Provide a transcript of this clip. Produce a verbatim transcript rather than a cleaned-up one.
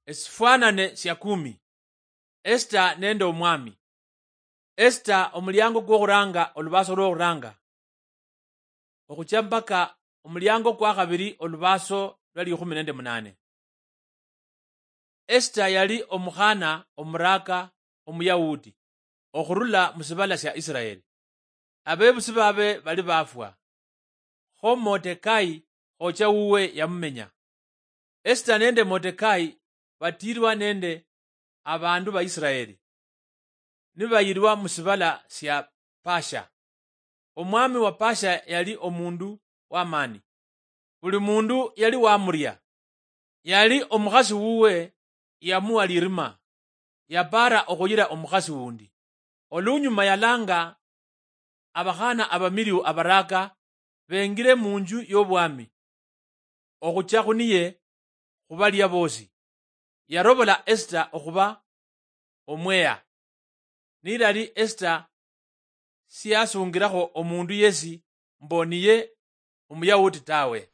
Esifwanane sia kumi. Esita nende omwami. Esita, omuliango kwokhuranga, olubaaso lwokhuranga, okhucha mpaka omuliango kwakhabiri, olubaaso lwa likhumi nende munane. Esita yali omukhana omuraka Omuyahudi okhurula musibala sia Isiraeli. Abebusi babe bali bafwa, kho Motekai khocha wuwe yamumenya. Esita nende Motekai batirwa nende abandu ba Isiraeli, nibayirwa musibala sia Pasha. Omwami wa Pasha yali omundu wamani, buli mundu yali wamuria. Yali omukhasi wuwe yamuwa lirima, yapara okhuyira omukhasi wundi. Olunyuma yalanga abakhana abamiliu abaraka bengire munju yobwami, okhucha khuniye khubalia bosi. Yarobola Esita okhuba omweya. Nilali Esita siyasungirakho omundu yesi mbo niye Omuyahudi tawe.